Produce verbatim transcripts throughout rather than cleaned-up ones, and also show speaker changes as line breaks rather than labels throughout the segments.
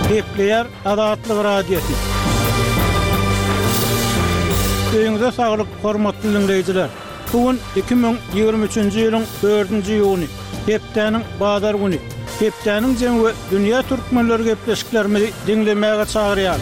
Gepleýär Azatlyk Radiosy. Öýüňize saglyk, hormatly diňleýjiler! Bu gün iki müň ýigrimi üçünji ýylyň dördünji iýuny, hepdäniň bazar güni. Hepdäniň jemi we dünýä türkmenleri gepleşiklerimizi diňlemäge çagyrýar.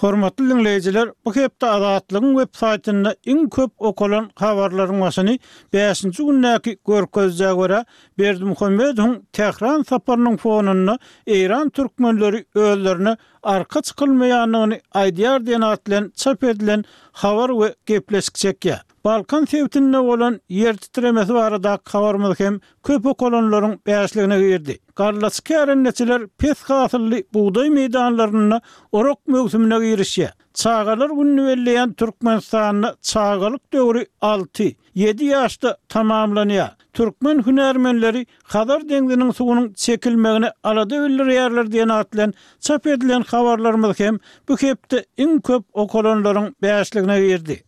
Hormatly diňleýjiler, bu hepde Azatlygyň web saýtynda iň köp okalan habarlaryň başyny bäşinji gündäki görkezijä görä, Berdimuhamedowyň Tähran saparynyň fonunda eýran türkmenleri özlerine arka çykylmaýandygyny aýdýar diýen at bilen çap edilen habar we gepleşik çekýär. Balkan sebitinde bolan ýer titremesi baradaky habarymyz hem köp okalanlaryň bäşligine girdi. Gallaçy kärendeçiler pes hasylly bugdaý meýdanlarynda orak möwsümine girişýär. Çagalar gününi belleýän Türkmenistanda çagalyk döwri alty, ýedi ýaşda tamamlanýar. Türkmen hünärmenleri Hazar deňziniň suwunyň çekilmegine alada bildirýärler diýen at bilen çap edilen habarlarymyz hem bu hepde iň köp okalanlaryň bäşligine girdi.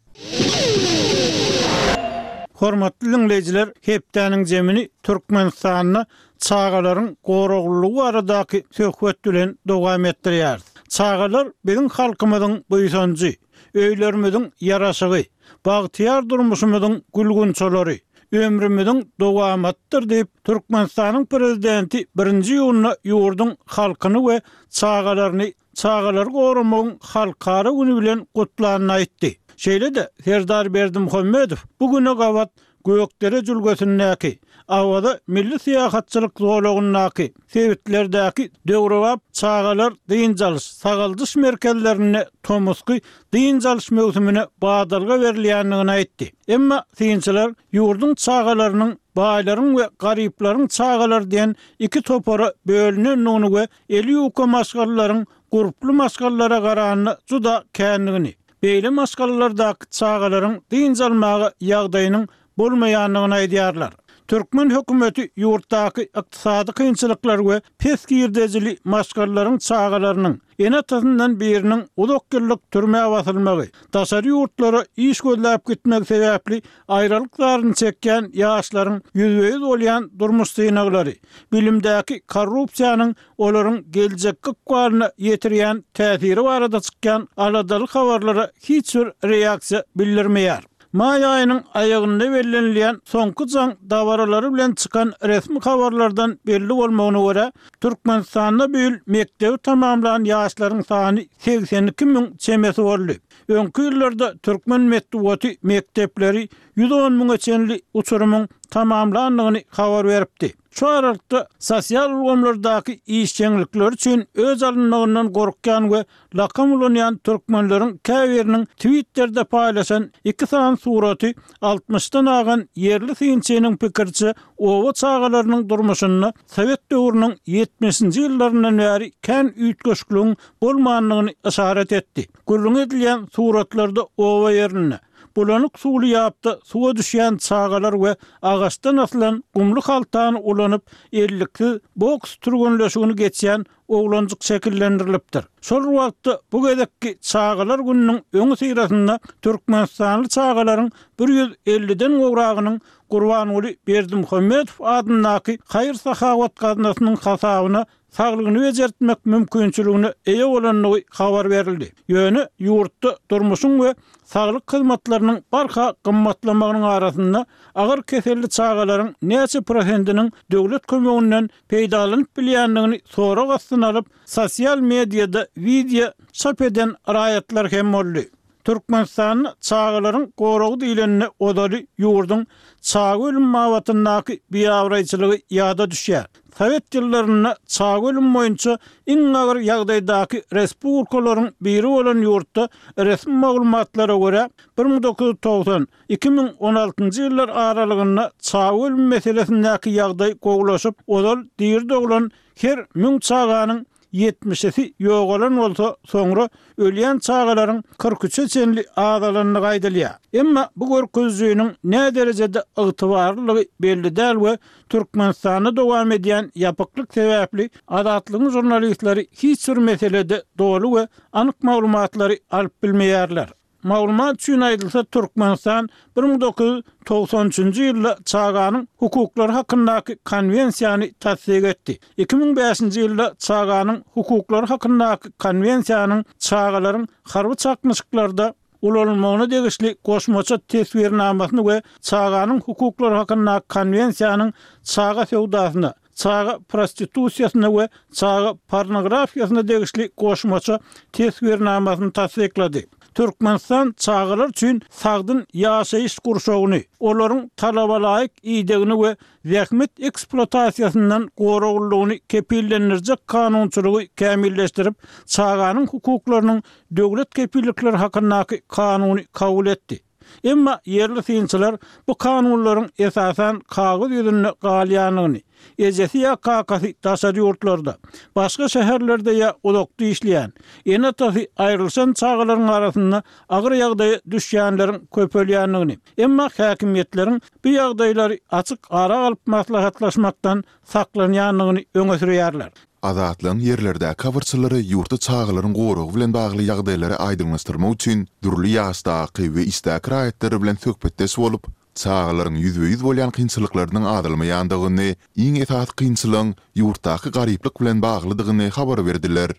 Hormatly diňleýjiler, hepdäniň jemini Türkmenistanda çagalaryň goraglylygy baradaky söhbet bilen dowam etdirýäris. Çagalar biziň halkymyzyň buýsanjy, öýlerimiziň ýaraşygy, bagtyýar durmuşymyzyň gül-gunçalary, ömrümiziň dowamatydyr diýip, Türkmenistanyň Prezidenti birinji iýunda ýurduň halkyny we çagalaryny Çagalary goramagyň halkara güni bilen gutlanyny aýtdy. Şeýle-de Serdar Berdimuhamedow bu güne gabat Gökdere jülgesindäki, Awaza milli syýahatçylyk zolagyndaky, sebitlerdäki döwrebap çagalar dynç alyş, sagaldyş merkezlerinde tomusky dynç alyş möwsümine badalga berilýändigini aýtdy. Emma synçylar ýurduň çagalarynyň baýlaryň we garyplaryň çagalary diýen iki topara bölünendigini we eli ýuka maşgalalaryň gurply maşgalalara garanda juda kändigini, beýle maşgalalardaky çagalaryň dynç almaga ýagdaýynyň bolmaýandygyny aýdýarlar. Türkmen hökümeti ýurtdaky ykdysady kynçylyklar we pes girdejili maşgalalaryň çagalarynyň ene-atasyndan biriniň uzak ýyllyk türmä basylmagy, daşary ýurtlara iş gözläp gitmegi sebäpli aýralyk zaryny çekýän ýaşlaryň ýüzbe-ýüz bolýan durmuş synaglary, bilimdäki korrupsiýanyň olaryň geljekki ykbalyna ýetirýän täsiri barada çykýan aladaly habarlara hiç bir reaksiýa bildirmeýär. Maý aýynyň aýagynda bellenilýän Soňky jaň dabaralary bilen çykan resmi habarlardan belli bolmagyna görä, Türkmenistanda bu ýyl mekdebi tamamlan ýaşlaryň sany segsen iki müň çemesi boldy. Öňki ýyllarda türkmen metbugaty mekdepleri ýüz on müňe çenli uçurymyň tamamlandygyny habar beripdi. Şu aralykda, sosial ulgamlardaky işjeňlikleri üçin öç alynmagyndan gorkýan we lakam ulanýan türkmenleriň käbiriniň Twitterde paýlaşan iki sany suraty altmyşdan agan ýerli synçynyň pikiriçe, oba çagalarynyň durmuşynda sowet döwrüniň ýetmişinji ýyllaryndan bäri kän üýtgeşikligiň bolmandygyny yşarat etdi. Gürrüňi edilýän suratlarda oba ýerinde, bulanyk suwly ýapda suwa düşýän çagalar we agaçdan asylan gumly haltany ulanyp, elliksiz boks türgenleşigini geçýän oglanjyk şekillendirilipdir. Şol bir wagtda, bu gezekki Çagalar gününiň öňüsyrasynda türkmenistanly çagalaryň bir ýüz elliden gowragynyň Gurbanguly Berdimuhamedow adyndaky haýyr-sahawat gaznasynyň hasabyna saglygyny bejertmek mümkinçiligine eýe bolandygy habar berildi. Ýöne ýurtda durmuşyň we saglyk hyzmatlarynyň barha gymmatlamagynyň arasynda agyr keselli çagalaryň näçe prosentiniň döwlet kömeginden peýdalanyp bilýändigini sorag astyna alyp, sosial mediada wideo çap eden raýatlar hem boldy. Türkmenistanda çagalaryň goragy diýlende ozaly ýurduň çaga ölümi babatyndaky biabraýçylygy ýada düşýär. Sowet ýyllarynda çaga ölümi boýunça iň agyr ýagdaýdaky respublikalaryň biri bolan ýurtda resmi maglumatlara görä, bir müň dokuz ýüz togsan, iki müň on altynjy ýyllar aralygynda çaga ölümi meselesindäki ýagdaý gowulaşyp, ozal diri doglan her müň çaganyň ýetmişisi ýogalan bolsa, soňra ölýän çagalaryň kyrk üçe çenli azalandygy aýdylýar. Emma bu görkezijiniň näderejede ygtybarlydygy belli däl we Türkmenistanda dowam edýän ýapyklyk sebäpli Azatlygyň žurnalistleri hiç bir meselede doly we anyk maglumatlary alyp bilmeýärler. Maglumat üçin aýdylsa, Türkmenistan bir müň dokuz ýüz togsan üçünji ýylda Çaganyň hukuklary hakyndaky Konwensiýany tassyk etdi. Iki müň bäşinji ýylda Çaganyň hukuklary hakyndaky Konwensiýanyň çagalaryň harby çaknyşyklarda ulanylmagyna degişli goşmaça teswirnamasyny we Çaganyň hukuklary hakyndaky Konwensiýanyň çaga söwdasyna, çaga prostitusiýasyna we çaga pornografiýasyna degişli goşmaça teswirnamasyny tassyklady. Türkmenistan çagalar üçin sagdyn ýaşaýyş gurşawyny, olaryň talabalaýyk idegini we zähmet ekspluatasiýasyndan goraglylygyny kepillendirjek kanunçylygy kämilleşdirip, çaganyň hukuklarynyň döwlet kepillikleri hakyndaky kanuny kabul etdi. Emma ýerli synçylar bu kanunlaryň esasan kagyz ýüzünde galýandygyny, ejesi ýa kakasy daşary ýurtlarda, başga şäherlerde ýa uzakda işleýän, ene-atasy aýrylyşan çagalaryň arasynda agyr ýagdaýa düşýänleriň köpelýändigini, emma häkimiýetleriň bu ýagdaýlary açyk ara alyp maslahatlaşmakdan saklanýandygyny öňe sürýärler.
Azatlygyň ýerlerdäki habarçylary ýurtda çagalaryň goragy bilen bagly ýagdaýlary aýdyňlaşdyrmak üçin dürli ýaşdaky we işdäki raýatlar bilen söhbetdeş bolup, çagalaryň ýüzbe-ýüz bolýan kynçylyklarynyň azalmaýandygyny, iň esasy kynçylygyň ýurtdaky garyplyk bilen baglydygyny habar berdiler.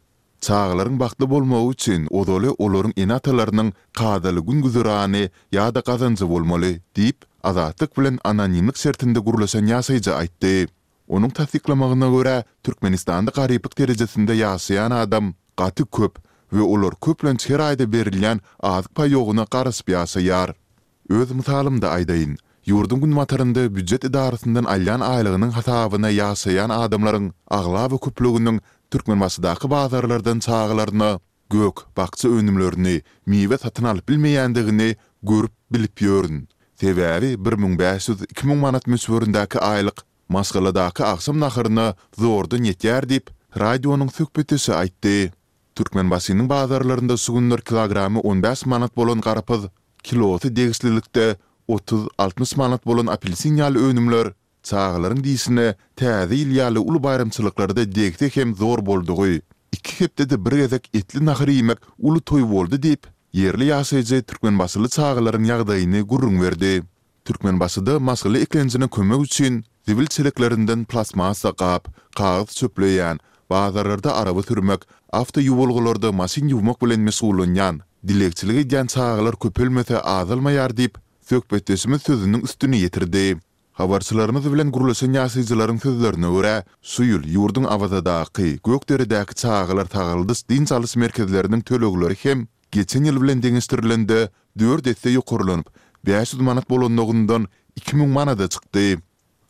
Çagalaryň bagtly bolmagy üçin ozaly olaryň ene-atalarynyň kadaly gün-güzerany ýa-da gazanjy bolmaly diýip, Azatlyk bilen anonimlik şertinde gürleşen ýaşaýjy aýtdy. Onuň tassyklamagyna görä, Türkmenistanda garyplyk derejesinde ýaşaýan adam gaty köp we olar köplenç her aýda berilýän azyk paýogyna garaşyp ýaşaýar. Öz mysalymda aýdaýyn, ýurduň günbatarynda býujet edarasyndan alýan aýlygynyň hasabyna ýaşaýan adamlaryň aglaba köplüginiň Türkmenbaşydaky bazarlardan çagalaryna gök, bakja önümlerini, miwe satyn alyp bilmeýändigini görüp, bilip ýörün. Sebäbi bir müň bäş ýüz, iki müň manat möçberindäki aýlyk maşgaladaky agşam naharyna zordan ýetýär diýip, radionyň söhbetdeşi aýtdy. Türkmenbaşynyň bazarlarynda şu günler kilogramy on bäş manat bolan garpyz, kilosy degişlilikde otuz, altmyş manat bolan apelsin ýaly önümler çagalaryň dişine Täze ýyl ýaly uly baýramçylyklarda degse hem zor boldugy, iki hepdede bir gezek etli nahar iýmek uly toý boldy diýip, ýerli ýaşaýjy türkmenbaşyly çagalaryň ýagdaýyny gürrüň berdi. Türkmenbaşyda maşgala eklenjine kömek üçin zibil çeleklerinden plastmassa gap, kagyz çöpleýän, bazarlarda araba sürmek, awtoýuwalgalarda maşyn ýuwmak bilen meşgullanýan, dilegçilik edýän çagalar köpelmese azalmaýar diýip, söhbetdeşimiz sözüniň üstüni ýetirdi. Habarçylarymyz bilen gürleşen ýaşaýjylaryň sözlerine görä, şu ýyl ýurduň Awazadaky, Gökderedäki çagalar sagaldyş-dynç alyş merkezleriniň tölegleri hem geçen ýyl bilen deňeşdirilende dört esse ýokarlanyp, bäş ýüz manat bolanlygyndan iki müň manada çykdy.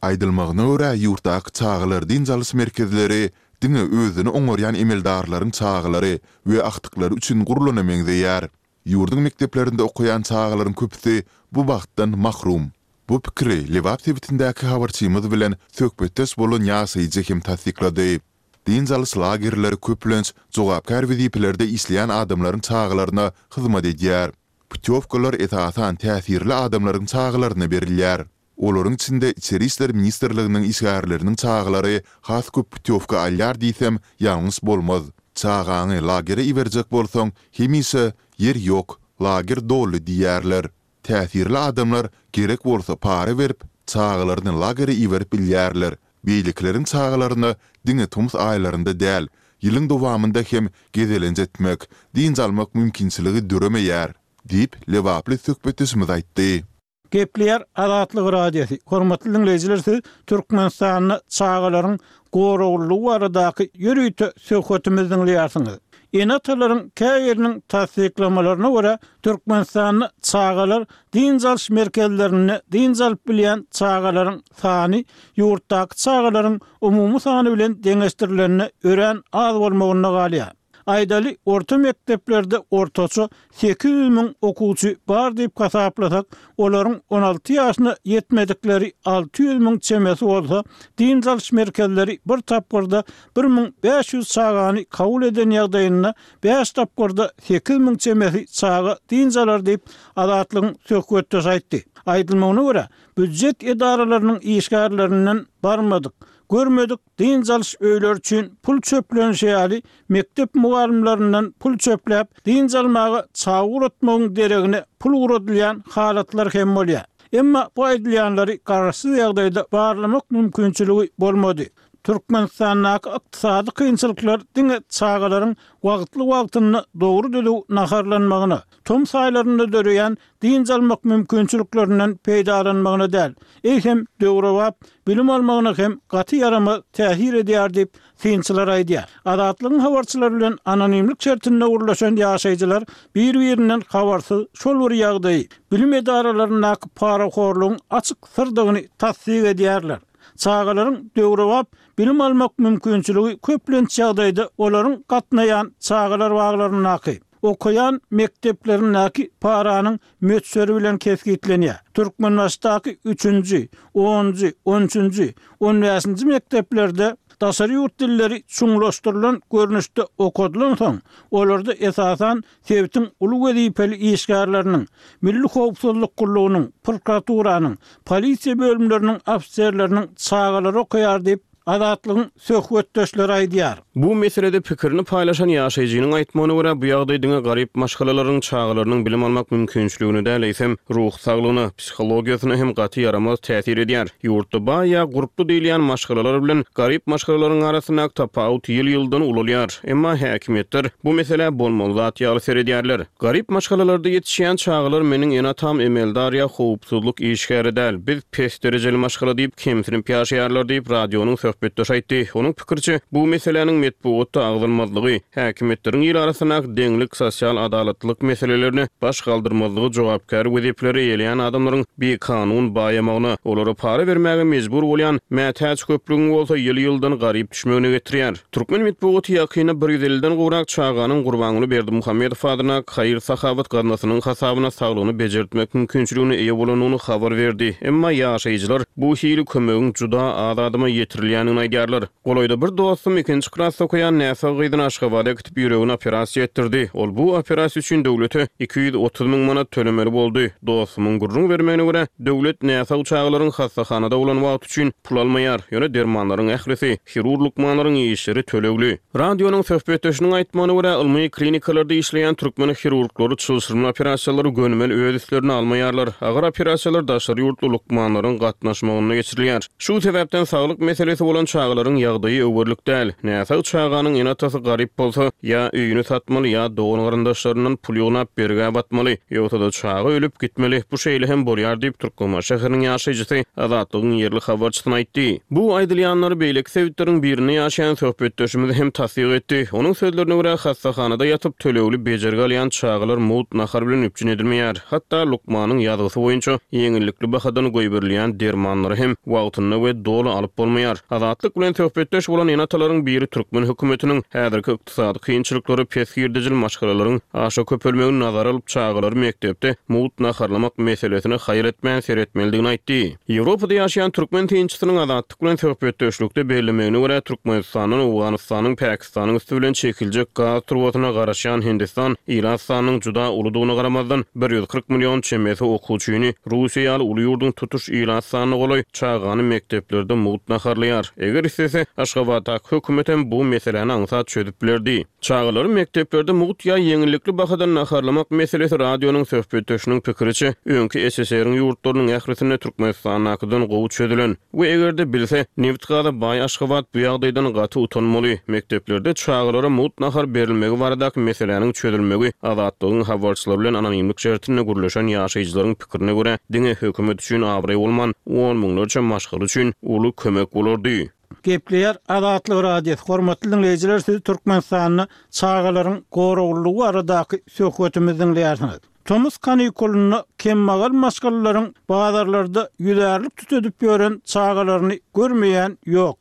Aýdylmagyna görä, ýurtdaky çagalar dynç alyş merkezleri diňe özüni oňarýan emeldarlaryň çagalary we agtyklary üçin gurlana meňzeýär. Ýurduň mekdeplerinde okaýan çagalaryň köpüsi bu bagtdan mahrum. Bu pikiri Lebap sebitindäki habarçymyz bilen söhbetdeş bolan ýaşaýjy hem tassyklady. Dynç alyş lagerleri köplenç jogapkär wezipelerde işleýän adamlaryň çagalaryna hyzmat edýär. Putýowkalar esasan täsirli adamlaryň çagalaryna berilýär. Olaryň içinde Içeri işler ministrliginiň işgärleriniň çagalary has köp putýowka alýar diýsem ýalňyş bolmaz. Çagaňy lagere iberjek bolsaň hemişe ýer ýok, lager doly diýýärler. Täsirli adamlar gerek bolsa para berip, çagalaryny lagere iberip bilýärler. Beýlekileriň çagalaryna diňe tomus aýlarynda däl, ýylyň dowamynda hem gezelenç etmek, dynç almak mümkinçiligi döremeýär, diýip, lebaply söhbetdeşimiz aýtdy.
Gepleýär Azatlyk Radiosy. Hormatly diňleýjiler, siz Türkmenistanda çagalaryň goraglylygy baradaky ýörite söhbetimizi diňleýärsiňiz. Ene-atalaryň käbiriniň tassyklamalaryna görä, Türkmenistanda çagalar dynç alyş merkezlerinde dynç alyp bilýän çagalaryň sany ýurtdaky çagalaryň umumy sany bilen deňeşdirilende örän az bolmagynda galýar. Aýdaly, orta mekdeplerde ortaça sekiz ýüz müň okuwçy bar diýip hasaplasak, olaryň on alty ýaşyna ýetmedikleri alty ýüz müň çemesi bolsa, dynç alyş merkezleri bir tapgyrda bir müň bäş ýüz çagany kabul eden ýagdaýynda bäş tapgyrda sekiz müň çemesi çaga dynç alar diýip, Azatlygyň söhbetdeşi aýtdy. Aýdylmagyna görä, býujet edaralarynyň işgärlerinden barmadyk, Görmedik dynç alyş öýleri üçin pul çöplenişi ýaly mekdep mugallymlaryndan pul çöpläp, dynç almaga çaga ugratmagyň deregine pul ugradylýan halatlar hem bolýar. Emma bu aýdylýanlary garaşsyz ýagdaýda barlamak mümkinçiligi bolmady. Türkmenistandaky ykdysady kynçylyklar diňe çagalaryň wagtly-wagtynda dogry düzüw naharlanmagyna, tomus aýlarynda döreýän dynç almak mümkinçiliklerinden peýdalanmagyna däl, eýsem döwrebap bilim almagyna hem gaty ýaramaz täsir edýär diýip, synçylar aýdýar. Azatlygyň habarçylary bilen anonimlik şertinde gürleşen ýaşaýjylar bir-birinden habarsyz şol bir ýagdaýy, bilim edaralaryndaky parahorlugyň açyk syrdygyny tassyk edýärler. Çagalaryň döwrebap bilim almak mümkinçiligi köplenç ýagdaýda olaryň gatnaýan çagalar baglaryndaky, okaýan mekdeplerindäki paranyň möçberi bilen kesgitlenýär. Türkmenbaşydaky üçünji, onunjy, on üçünji, on bäşinji mekdeplerde daşary ýurt dilleri çuňlaşdyrylan görnüşde okadylan soň, olarda esasan sebitiň uly wezipeli işgärleriniň, Milli howpsuzlyk gullugynyň, prokuraturanyň, polisiýa bölümleriniň ofiserleriniň çagalary okaýar diýip, Azatlygyň söhbetdeşleri aýdýar.
Bu meselede pikirini paýlaşan ýaşaýjynyň aýtmagyna görä, bu ýagdaý diňe garyp maşgalalaryň çagalarynyň bilim almak mümkinçiligine däl, eýsem, ruhy saglygyna, psihologiýasyna hem gaty ýaramaz täsir edýär. Ýurtda baý ýa gurply diýilýän maşgalalar bilen garyp maşgalalaryň arasyndaky tapawut ýyl-ýyldan ulalýar. Emma häkimiýetler bu meselä bolmaly zat ýaly seredýärler. Garyp maşgalalarda ýetişýän çagalar meniň ene-atam emeldar ýa howpsuzlyk işgäri däl, biz pes derejeli maşgala diýip kemsinip ýaşaýarlar diýip, radionyň söhbetdeşi aýtdy. Onuň pikiriçe, bu meseläniň metbugatda agzalmazlygy, häkimiýetleriň il arasyndaky deňlik, sosial adalatlylyk meselelerine baş galdyrmazlygy jogapkär wezipeleri eýeleýän adamlaryň bikanun baýamagyna, olara para bermäge mejbur bolýan mätäç köplügiň bolsa ýyl-ýyldan garyp düşmegine getirýär. Türkmen metbugaty ýakynda bir ýüz elliden gowrak çaganyň Gurbanguly Berdimuhamedow adyna haýyr-sahawat gaznasynyň hasabyna saglygyny bejertmek mümkinçiligine eýe bolandygyny habar berdi. Emma ýaşaýjylar bu hili kömegiň juda az adama ýetirilýändigini aýdýarlar. Golaýda bir dostum ikinji klasda okaýan näsag gyzyny Aşgabada äkidip ýüregini operasiýa etdirdi. Ol bu operasiýa üçin döwlete iki ýüz otuz müň manat tölemeli boldy. Dostumyň gürrüň bermegine görä, döwlet näsag çagalaryň hassahanada bolan wagty üçin pul almaýar, ýöne dermanlaryň ählisi, hirurg lukmanlaryň işleri tölegli. Radionyň söhbetdeşiniň aýtmagyna görä, ylmy klinikalarda işleýän türkmen hirurglary çylşyrymly operasiýalary gönümel öz üstlerine almaýarlar. Agyr operasiýalar daşary ýurtly lukmanlaryň gatnaşmagynda geçirilýär. Şu sebäpden saglyk meselesi bolan çagalaryň ýagdaýy öwürlik däl. Näsag çaganyň ene-atasy garyp bolsa, ýa öýüni satmaly, ýa dogan garyndaşlaryndan pul ýygnap bergä batmaly, ýogsa-da çaga ölüp gitmeli. Bu şeýle hem bolýar diýip, Türkmenbaşy şäheriniň ýaşaýjysy Azatlygyň ýerli habarçysyna aýtdy. Bu aýdylýanlary beýleki sebitleriň birinde ýaşaýan söhbetdeşimiz hem tassyk etdi. Onuň sözlerine görä, hassahanada ýatyp tölegli bejergi alýan çagalar mugt nahar bilen üpjün edilmeýär. Hatda lukmanyň ýazgysy boýunça ýeňillikli bahadan goýberilýän dermanlary hem wagtynda we doly alyp bolmaýar. Azatlyk bilen söhbetdeş bolan ene-atalaryň biri türkmen hökümetiniň häzirki ykdysady kynçylyklary pes girdejili maşgalalaryň aşa köpelmegini nazara alyp çagalary mekdepde mugt naharlamak meselesine haýyr etmän seretmelidigini aýtdy. Ýewropada ýaşaýan türkmen synçysynyň Azatlyk bilen söhbetdeşlikde bellemegine görä, Türkmenistandan Owganystanyň, Pakistanyň üsti bilen çekiljek gaz turbasyna garaşýan Hindistan ilat sanynyň juda uludygyna garamazdan bir ýüz kyrk million çemesi okuwçyny Russiýa ýaly uly ýurduň tutuş ilat sanyna golaý çagany mekdeplerde mugt naharlaýar. Eger islese, Aşgabatdaky hökümet hem bu meseläni aňsat çözüp bilerdi. Çagalary mekdeplerde mugt ýa ýeňillikli bahadan naharlamak meselesi radionyň söhbetdeşiniň pikiriçe, öňki S S R-iň ýurtlarynyň ählisinde Türkmenistandakydan gowy çözülen we eger-de bilse, neft gaza baý Aşgabat bu ýagdaýdan gaty utanmaly. Mekdeplerde çagalara mugt nahar berilmegi baradaky meseläniň çözülmegi Azatlygyň habarçylary bilen anonimlik şertinde gürleşen ýaşaýjylaryň pikirine görä, diňe hökümet üçin abraý bolman, on müňlerçe maşgala üçin uly kömek bolardy.
Gepleýär Azatlyk Radiosy. Hormatly dinleýjiler, siz Türkmenistanda çagalaryň goraglylygy baradaky söhbetimizi dinleýärsiňiz. Tomus kanikulynda kemmagal maşgalalaryň bazarlarda ýüzärlik tütedip ýören çagalaryny görmeýän ýok.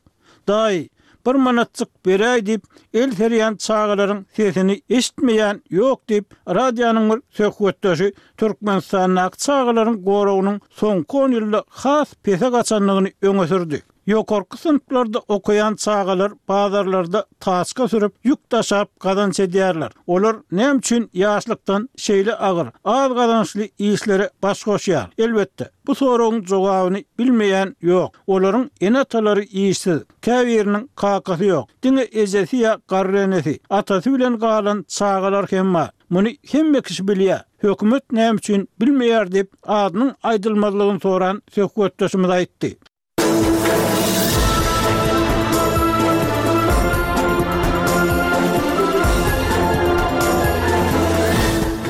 Daýy, bir manatjyk beräý diýip, el serýän çagalaryň sesini eşitmeýän ýok diýip, radionyň bir söhbetdeşi Türkmenistandaky çagalaryň goragynyň soňky on ýylda has pese gaçandygyny öňe sürdi. Ýokarky synplarda okaýan çagalar bazarlarda taçka sürüp, ýük daşap gazanç edýärler. Olar näme üçin ýaşlykdan şeýle agyr, az gazançly işlere baş goşýar? Elbetde, bu soragyň jogabyny bilmeýän ýok. Olaryň ene-atalary işsiz, käbiriniň kakasy ýok. Diňe ejesi ýa garry enesi, atasy bilen galan çagalar hem bar. Muny hemme kişi bilýär. Hökümet näme üçin bilmeýär diýip, adynyň aýdylmazlygyny soran söhbetdeşimiz aýtdy.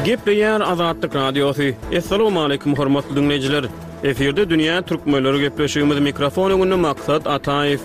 Gepleýär Azatlyk Radiosy. Assalamualaikum hormatly dinleýjiler. Efirde Dünýä Türkmenleri gepleşigimiz mikrofon öňünde Maksat Ataýew.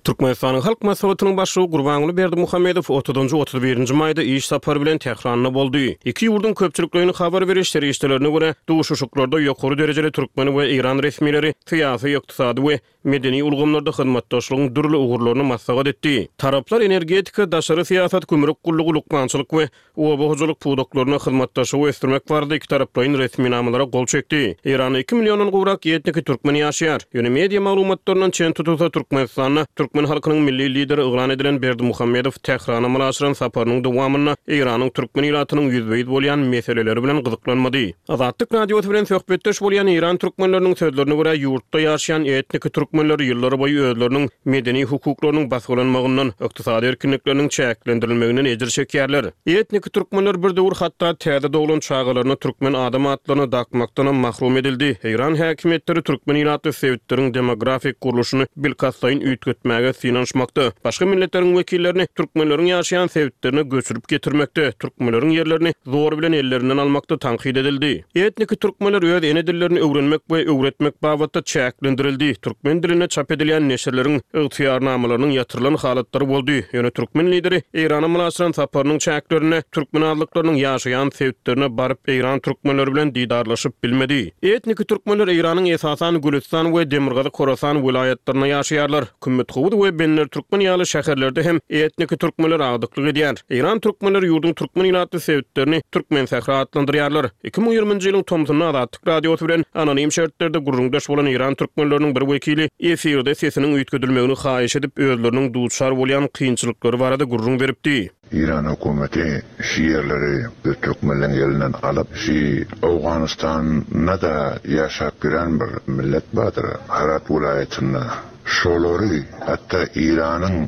Türkmenistanyň Halk Maslahatynyň başlygy Gurbanguly Berdimuhamedow otuzynjy otuz birinji maýda iş sapary bilen Tähranda boldy. Iki ýurduň köpçülikleýin habar beriş serişdelerine görä, duşuşyklarda ýokary derejeli türkmen we eýran resmileri syýasy, ykdysady we medeni ulgamlarda hyzmatdaşlygyň dürli ugurlaryny maslahat etdi. Taraplar energetika, daşary syýasat, gümrük gullugy, lukmançylyk we oba hojalyk pudaklaryna hyzmatdaşlygy ösdürmek barada iki taraplaýyn resminamalara gol çekdi. Eýranda iki milliondan gowrak etniki türkmen ýaşaýar. Ýöne media maglumatlaryndan çen tutulsa, Türkmenistanda türkmen halkynyň milli lideri yglan edilen Berdimuhamedow Tährana amala aşyran saparynyň dowamynda Eýranyň türkmen ilatynyň ýüzbe-ýüz bolýan meseleleri bilen gyzyklanmady. Azatlyk Radiosy bilen söhbetdeş bolýan Eýran türkmenleriniň sözlerine görä, ýurtda ýaşaýan etniki türkmenler ýyllar boýy özleriniň medeni hukuklarynyň basgylanmagyndan, ykdysady erkinlikleriniň çäklendirilmeginden ejir çekýärler. Etniki türkmenler bir döwür hatda täze doglan çagalaryna türkmen adam atlaryny dakmakdan mahrum edildi. Eýran häkimiýetleri türkmen ilatly sebitleriň demografik gurluşyny bilkastlaýyn üýtgetmäge synanyşmakda, başga milletleriň wekillerini türkmenleriň ýaşaýan sebitlerine göçürip getirmekde, türkmenleriň ýerlerini zor bilen ellerinden almakda tankyt edildi. Etniki türkmenler öz ene dillerini öwrenmek we öwretmek babatda çäklendirildi. Türkmen dilinde çap edilýän neşirleriň ygtyýarnamalarynyň ýatyrylan halatlary boldy. Ýöne türkmen lideri Eýrana amala aşyran saparynyň çäklerinde türkmen azlyklarynyň ýaşaýan sebitlerine baryp Eýran türkmenleri bilen didarlaşyp bilmedi. Etniki türkmenler Eýranyň esasan Gülüstan we Demirgazyk Horasan welaýatlarynda ýaşaýarlar. Kümmetgowuz we Benler türkmen ýaly şäherlerde hem etniki türkmenler agdyklyk edýär. Eýran türkmenleri ýurduň türkmen ilatly sebitlerini Türkmen sähra atlandyrýarlar. Iki müň ýigriminji ýylyň tomsunda Azatlyk Radiosy bilen anonim şertlerde gürrüňdeş bolan Eýran türkmenleriniň bir wekili efirde sesiniň üýtgedilmegini haýyş edip, özleriniň duçar bolýan kynçylyklary barada gürrüň beripdi.
Eýran hökümeti şu ýerleri biz türkmenleň elinden alyp, şu Owganystanda da ýaşap giren bir millet bardyr, Herat welaýatynda. Şolary hatda Eýranyň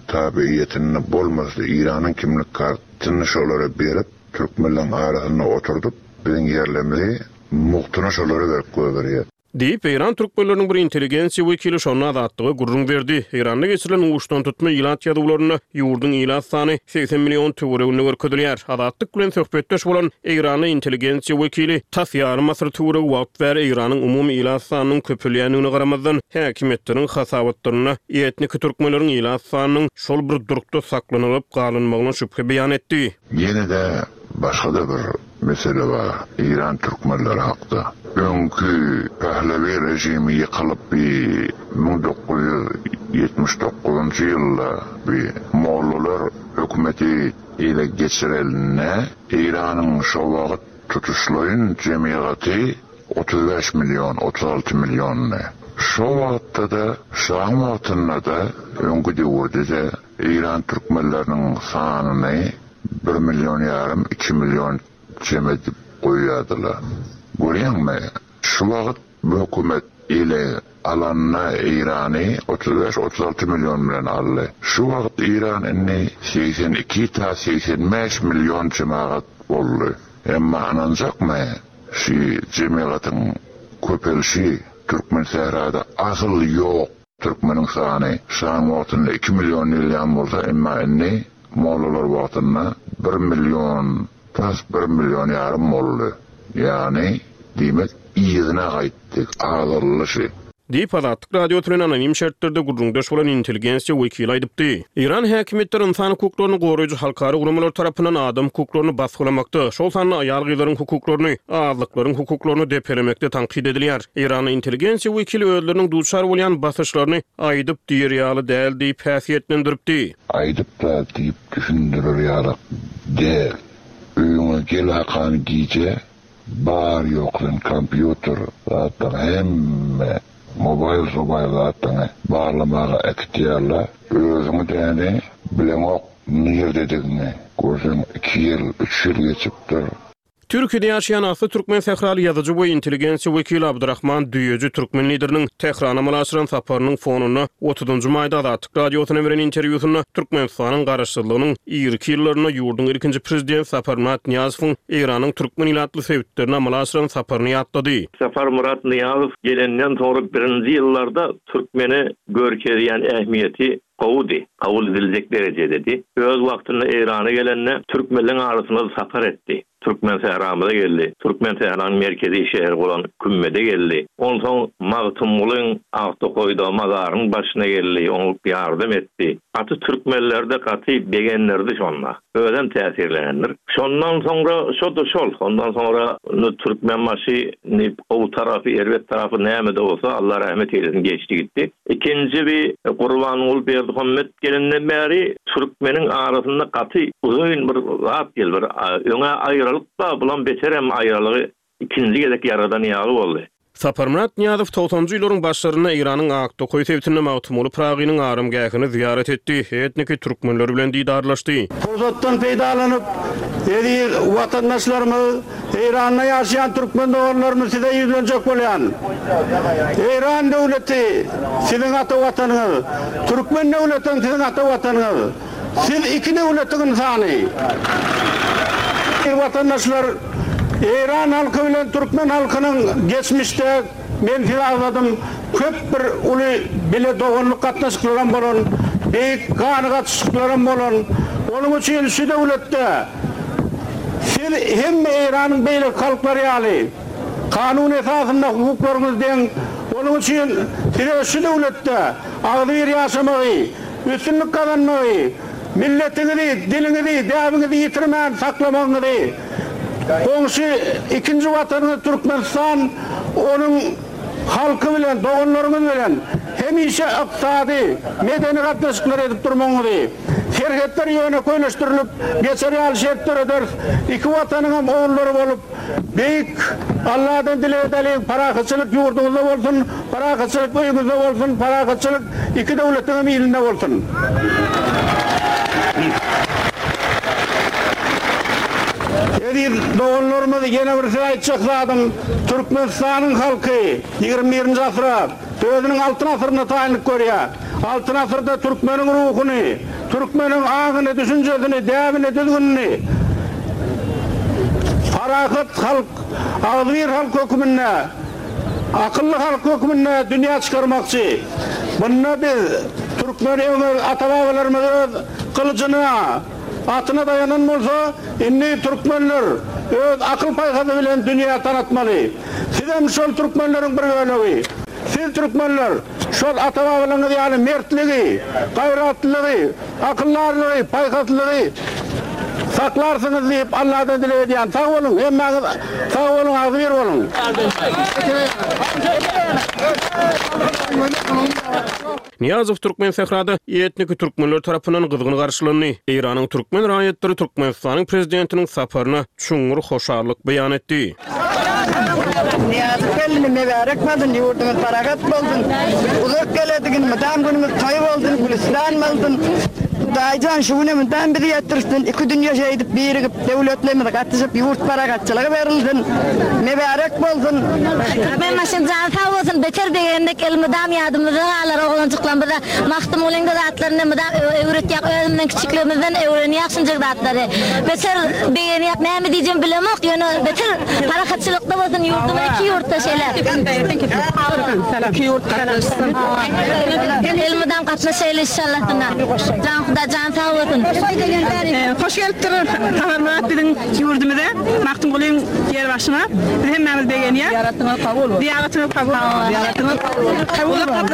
tabiýetinde bolmasa, Eýranyň kimlik kartyny şolara berip, türkmenleň arasynda oturdyp, biziň ýerlerimizi muhtuna şolara berip goýberýär.
Diýip, Eýran türkmenleriniň bir intelligensiýa wekili şonda Azatlyga gürrüň berdi. Eýranda geçirilen uçdan tutma ilat ýazuwlarynda ýurduň ilat sany seksen million töwereginde görkezilýär. Azatlyk bilen söhbetdeş bolan Eýranly intelligensiýa wekili tas ýarym asyr töweregi wagt bäri Eýranyň umumy ilat sanynyň köpelýändigine garamazdan, häkimiýetleriň hasabatlarynda etniki türkmenleriň ilat sanynyň şol bir durkda saklanylyp galynmagyna şübhe beýan etdi.
Ýene-de başga da bir mesele bar Eýran türkmenleri hakda. Öňki Pehlevi rejimi ýykylyp bir müň dokuz ýüz ýetmiş dokuzynjy ýylda bir mollalar hökümeti ele geçirilende Eýranyň şo wagt tutuşlaýyn jemiýeti otuz bäş million, otuz alty milliondy. Şo wagtda da, şaň wagtynda da, öňki döwürde de Eýran türkmenleriniň sanyny bir million ýarym, iki million jem edip goýýardylar. Görýäňmi? Şu wagt bu hökümet ele alanda Eýrany otuz bäş, otuz alty million bilen aldy. Şu wagt Eýran indi seksen iki ta seksen bäş million jemagat boldy. Emma ynanjakmy? Şu jemagatyn köpelişi Türkmen sährada asyl ýok. Türkmeniň sany şaň wagtynda iki million diýilýän bolsa, emma indi mollalar wagtynda bir million, tas bir million ýarym boldy. Ýagny, diýmek, yzyna gaýtdy, azaldy.
Diýip, Azatlyk Radiosy bilen anonim şertlerde gürrüňdeş bolan intelligensiýa wekili aýdypdy. Eýran häkimiýetleri insan hukuklaryny goraýjy halkara guramalar tarapyndan adam hukuklaryny basgylamakda, şol sanda aýal-gyzlaryň hukuklaryny, azlyklaryň hukuklaryny depelemekde tankyt edilýär. Eýranly intelligensiýa wekili özleriniň duçar bolýan basyşlaryny aýdyp diýer ýaly däl diýip häsiýetlendiripdi.
Aýdyp da diýip düşündirer ýaly däl. Öýüňe Gelakany gije bar ýok sen kompýuter zatlaryň hemme mobil mobil zatlaryňy barlamaga äkitýärler. Özüňi däni bileňok nirdedigini. Görseň iki ýyl, üç ýyl geçipdir.
Türkiýede ýaşaýan asly türkmen sähraly ýazyjy we intelligensiýa wekili Abdurrahman Düýeji türkmen lideriniň Tährana amala aşyran saparynyň fonunda otuzynjy maýda Azatlyk radiosyna beren interwýusynda Türkmenistanyň garaşsyzlygynyň irki ýyllarynda ýurduň ilkinji prezident Saparmyrat Nyýazowyň Eýranyň türkmen ilatly sebitlerine amala aşyran saparyny ýatlady.
Saparmyrat Nyýazow gelenden soňra birinji ýyllarda türkmene görkezýän ähmiýeti gowudy, kabul ediljek derejededi. Öz wagtynda Eýrana gelende türkmenleň arasynda sapar etdi. Türkmen sähramyza geldi. Türkmen sähranyň merkezi şäheri bolan Kümmede geldi. Onsoň Magtymgulyň Aktokoýda mazaryň başyna geldi, oňa ýardam etdi. Gaty türkmenlerde gaty begendirdi şonda. Özem täsirlenendir. Şondan soňra şo-da şol. Ondan soňra Türkmenbaşy ni gowy tarapy, erbet tarapy näme-de bolsa Allah rahmet eylesin geçdi gitti. Ikinji bir Gurbanguly Berdimuhamet gelenden bäri türkmeniň arasynda gaty uzyn bir zat geldi. Bir öňe aýralyk da bulan beterem aýralygy ikinji gezek ýaradan ýaly boldy.
Saparmyrat Nyýazow togsanjy ýyllaryň başlarynda Eýranyň Aktokoý sebitinde Magtymguly Pyragynyň aramgähini ziýaret etdi, etniki türkmenler bilen didarlaşdy.
Pursatdan peýdalanyp, eziz watandaşlarymyz, Eýranda ýaşaýan türkmen doganlarymyz size ýüzlenjek bolýan. Eýran döwleti siziň ata watanyňyz, türkmen döwleti siziň ata watanyňyz. Siz iki döwletiň insany. Watandaşlar, Eýran halky bilen türkmen halkynyň geçmişde men size agzadym, köp bir uly bile doganlyk gatnaşyklaram bolan, beýik gany gatnaşyklaram bolan. Onuň üçin şu döwletde siz hem Eýranyň beýleki halklary ýaly kanun esasynda hukuklaryňyz deň. Onuň üçin size şu döwletde agzybir ýaşamagy, üstünlik gazanmagy, milletiňizi, diliňizi, däbiňizi ýitirmän saklamagyňyzy, goňşy ikinji watanyňyz Türkmenistan, onuň halky bilen, doganlaryňyz bilen hemişe ykdysady, medeni gatnaşyklar edip durmagyňyzy, serhetler ýöne köýleşdirilip geçer ýaly şert dörederis. Iki watanyň hem ogullary bolup, beýik Allahdan dileg edeliň, parahatçylyk ýurduňyzda bolsun, parahatçylyk öýüňizde bolsun, parahatçylyk iki döwletiň hem ilinde bolsun. Eziz doganlarymyz, ýene bir söz aýtjak zadym, Türkmenistanyň halky ýigrimi birinji asyra, özüniň altyn asyryna taýynlyk görýär. Altyn asyrda türkmeniň ruhuny, türkmeniň aňyny, düşünjesini, däbini, düzgünini parahat halk, agzybir halk hökmünde, akylly halk hökmünde dünýä çykarmakçy. Bunda biz türkmen öňe ata-babalarymyz öz gylyjyna, atyna daýanan bolsa, indi türkmenler öz akyl paýhasy bilen dünýä tanatmaly. Siz hem şol türkmenleriň bir bölegi. Siz türkmenler şol ata-babalaryňyz ýaly mertligi, gaýratlylygy, akyldarlygy, paýhaslylygy saklarsyňyz diýip Allahdan dileg edýän. Sag boluň, hemmäňiz sag boluň, agzybir boluň.
Nyýazow türkmen sährada etniki türkmenler tarapyndan gyzgyn garşylandy. Eýranyň türkmen raýatlary Türkmenistanyň prezidentiniň saparyna çuňňur hoşallyk beýan etdi.
Nyýazow geldi, mübarek bolsun, ýurdumyz parahat bolsun. Uzak geledigin, mydam günümüz toý bolsun, Gülistan bolsun. Hudaýjan şu güne mydam bizi ýetdirsin, iki dünýä şeýdip birigip, döwletlerimiz gatyşyp, ýurt parahatçylygy berilsin. Mübarek bolsun.
Türkmenbaşyň jany sag bolsun, beter begendik, elmydam ýadymyzda galar oglanjyklarymyza. Magtymgulyň zatlaryny mydam öwretýär, özümden kiçikligimizden öwrenýär şunjak zatlary. Beter begenýär, näme diýjegimi bilemok, ýöne beter parahatçylykda bolsun ýurdumyz, iki ýurtda şeýle.
İki ýurt gatnaşsyn.
Elmydam gatnaşaýly inşallah. Jan Huda jan sag bolsun.
Hoş gelipdir Saparmyrat biziň ýurdumyza, Magtymgulyň ýer başyna. Biz hemmämiz begenýär.
Ziýaratyňyz kabul bolsun.
Ziýaratyňyz kabul bolsun.
Ziýaratyňyz kabul bolsun.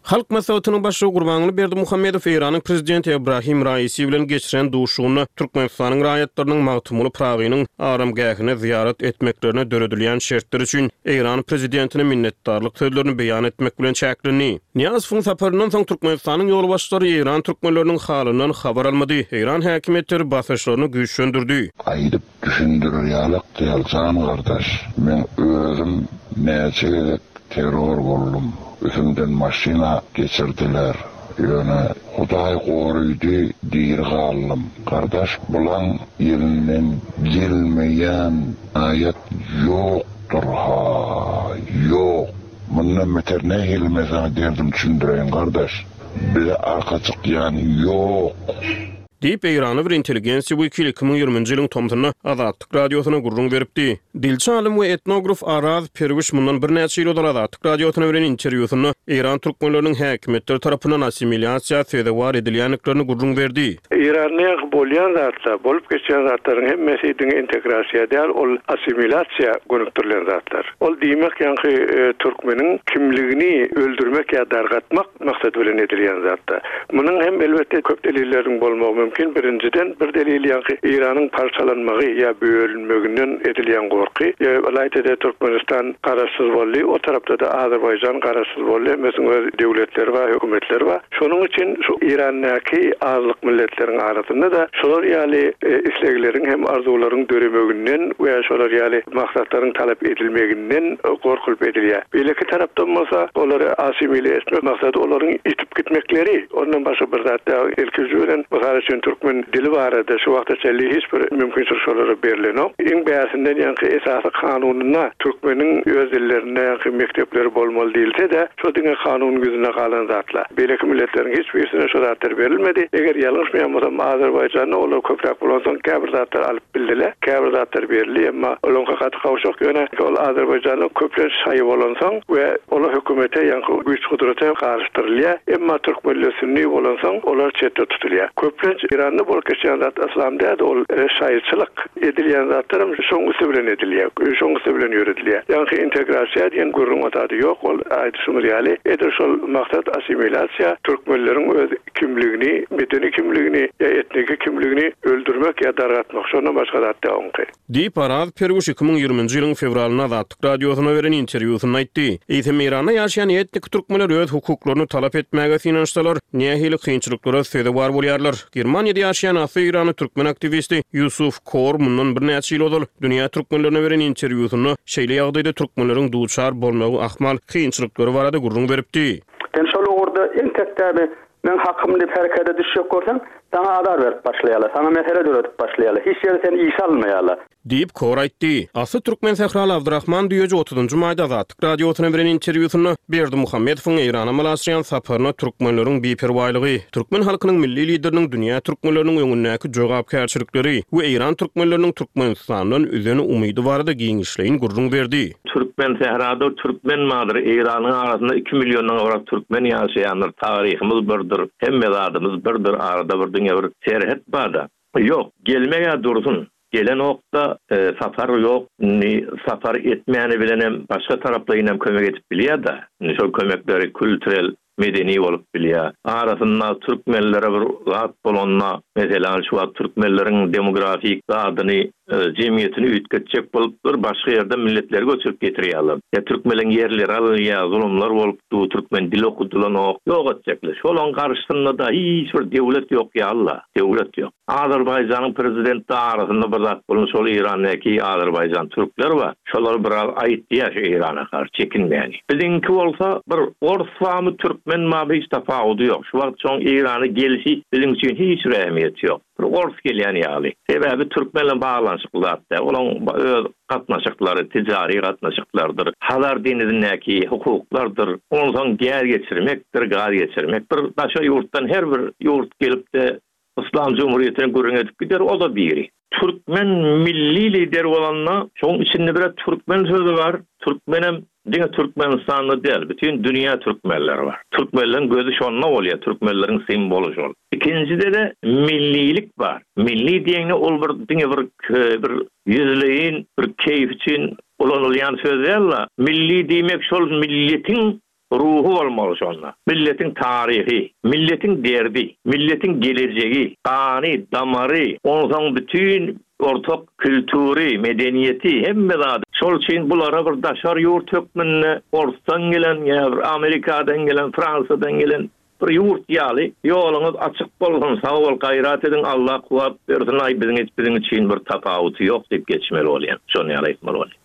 Halk Maslahatynyň Başlygy Gurbanguly Berdimuhamedow Eýranyň Prezidenti Ebrahim Raisi bilen geçiren duşuşygynda Türkmenistanyň raýatlarynyň Magtymguly Pyragynyň aramgähine zyýarat etmeklerine döredilýän şertler üçin Eýran Prezidentine minnetdarlyk sözlerini beýan etmek bilen çäklendi. Nyýazowyň saparyndan soň Türkmenistanyň ýolbaşçylary Eýran türkmenleriniň halyndan habar almady, Eýran häkimiýetleri basyşlaryny güýçlendirdi.
Aýdyp düşündirer ýalak däl jan gardaş, meň özüm näçe gezek terror boldum, üstümden maşyna geçirdiler, ýöne Hudaý gorydy diri galdym. Gardaş bulaň elinden gelmeýän aýat ýokdur ha, ýok. Mundan beter nähili men saňa derdim düşündireýin gardaş, bize arka çykýan ýok.
Diýip, eýranly bir intelligensiýa wekili iki müň ýigriminji ýylyň tomsunda Azatlyk Radiosyna gürrüň beripdi. Dilçi alym we etnograf Araz Perwiş mundan birnäçe ýyl ozal Azatlyk Radiosyna beren interwýusynda eýran türkmenleriniň häkimiýetler tarapyndan assimilýasiýa sezewar edilýändiklerini gürrüň berdi.
Eýranda bolýan zatlar, bolup geçýän zatlaryň hemmesi diňe integrasiýa däl, ol assimilýasiýa gönükdirilen zatlar. Ol diýmek ýaňky türkmeniň kimligini öldürmek ýa dargatmak maksady bilen edilýän zatlar. Munuň hem elbetde köp delilleriň bolmagy mümkin. Birinjiden, bir delil ýaňky Eýranyň parçalanmagy ýa bölünmeginden edilýän gorky. Ylaýta-da Türkmenistan garaşsyz boldy, o tarapda-da Azerbaýjan garaşsyz boldy, hemmesiniň öz döwletleri bar, hökümetleri bar. Şonuň üçin şu Eýrandaky azlyk milletleriň arasynda-da şolar ýaly islegleriň hem arzuwlaryň döremeginden we şolar ýaly maksatlaryň talap edilmeginden gorkulyp edilýär. Beýleki tarapdan bolsa, olary assimile etmek maksady olaryň ýitip gitmekleri, ondan başga bir zat däl. Ilkinji bilen, mysal üçin, türkmen dili barada şu wagta çenli hiç bir mümkinçilik şolara berlenok. Iň bärsinden ýaňky esasy kanunynda türkmeniň öz dillerinde ýaňky mekdepleri bolmaly diýilse-de, şo diňe kanunyň ýüzünde galan zatlar. Beýleki milletleriň hiç birisine şo zatlar berilmedi. Eger ýalňyşmaýan bolsam, Azerbaýjanda olar köpräk bolansoň käbir zatlar alyp bildiler, käbir zatlar berildi, emma olaňky gaty gowşak. Ýöne ol Azerbaýjanda köplenç şaýy bolansoň we olar hökümete ýaňky güýç-gudrata garyşdyrylýar. Emma türkmenler sünni bolansoň, olar çetde tutulýar. Köplenç Eýranda bolup geçýän zat yslam däl-de, ol şaýyçylyk. Edilýän zatlaram şoň üsti bilen edilýär, şoň üsti bilen ýöredilýär. Ýaňky integrasiýa diýen gürrüň o zady ýok, ol aýdyşymyz ýaly, edil şol maksat assimilýasiýa, türkmenleriň öz kimligini, medeni kimligini ýa etniki kimligini öldürmek ýa dargatmak, şondan başga zat däl oňky.
Diýip, Araz Perwiş iki müň ýigriminji ýylyň fewralynda Azatlyk Radiosyna beren interwýusynda aýtdy. Eýsem, Eýranda ýaşaýan etniki türkmenler öz hukuklaryny talap etmäge synanyşsalar, nähili kynçylyklara sezewar bolýarlar? Germaniýada ýaşaýan asly eýranly türkmen aktiwisti Ýusuf Kor mundan birnäçe ýyl ozal dünýä türkmenlerine beren interwýusynda şeýle ýagdaýda türkmenleriň duçar bolmagy ahmal kynçylyklary barada gürrüň beripdi.
Sen şol ugurda entek däbi meň hakym diýip herekete düşjek bolsaň, saňa azar berip başlaýarlar, saňa mesele döredip başlaýarlar, hiç ýere seni işe almaýarlar.
Diýip, Kor aýtdy. Asly türkmen sähraly Abdyrahman Düýeji otuzynjy maýda Azatlyk Radiosyna beren interwýusynda Berdimuhamedowyň Eýrana amala aşyrýan saparyna türkmenleriň biperwaýlygy, türkmen halkynyň Milli Lideriniň dünýä türkmenleriniň öňündäki jogapkärçilikleri we eýran türkmenleriniň Türkmenistandan üzen umydy barada giňişleýin gürrüň berdi.
Türkmen sährada türkmen bardyr, Eýranyň arasynda iki milliondan gowrak türkmen ýaşaýandyr, taryhymyz birdir, hemme zadymyz birdir, arada bir diňe bir serhet barda. Ýok, gelmeg-ä dursun, gelenok-da, sapar ýok, indi sapar etmäni bilenem başga taraplaýynam kömek edip bilýär-de, indi şol kömekleri külturel, medeni bolup bilýär. Arasynda türkmenlere bir zat bolanda, meselem, şu wagt türkmenleriň demografik zadyny, jemgyýetini üýtgetjek bolup bir başga ýerden milletleri göçürip getirýärler. Ýa türkmeniň ýerleri alynýar, zulumlar bolup dur, türkmen dili okudylanok, ýok etjekler. Şolaň garşysynda-da hiç bir döwlet ýok ýaly-la, döwlet ýok. Azerbaýjanyň prezidenti arasynda bir zat bolan şol Eýrandaky Azerbaýjan türkler bar. Şolar biraz aýtýar şu Eýrana garşy çekinmäni. Biziňki bolsa bir ors barmy türkmen barmy hiç tapawudy ýok. Şu wagt şoň Eýrana gelişi biziň üçin hiç bir ähmiýeti ýok. Bir ors gelýän ýaly. Sebäbi türkmen bilen baglanyşykly zat däl. Olaň öz gatnaşyklary tijari gatnaşyklardyr. Hazar deňizindäki hukuklardyr. Onsoň gäz geçirmekdir, gaz geçirmek. Bir daşary ýurtdan her bir ýurt gelip-de Yslam Jumhuriýetini gürrüň edip gider, o-da biri. Türkmen milli lideri bolanda, şoň içinde bir-ä türkmen sözi bar, türkmenem diňe Türkmenistanda däl, bütin dünýä türkmenleri bar. Türkmenleriň gözi şonda bolýar, türkmenleriň simwoly şol. Ikinjide-de millilik bar. Milli diýeňde ol bir diňe bir bir ýüzleýin, bir keýp üçin ulanylýan söz däl-de, milli diýmek şol milletiň Ruhy bolmaly şonda. Milletiň taryhy, milletiň derdi, milletiň gelejegi, gany, damary, onsoň bütin ortak kültüri, medeniýeti, hemme zady. Şol üçin bulara bir daşary ýurt hökmünde orsdan gelen ýa bir Amerikadan gelen, Fransiýadan gelen bir ýurt ýaly ýoluňyz açyk bolsun, sag bol, gaýrat ediň, Allah kuwwat bersin, aý biziň hiç biziň üçin bir tapawuty ýok diýip geçmeli bolýan. Şony ýaly aýtmaly bolýan.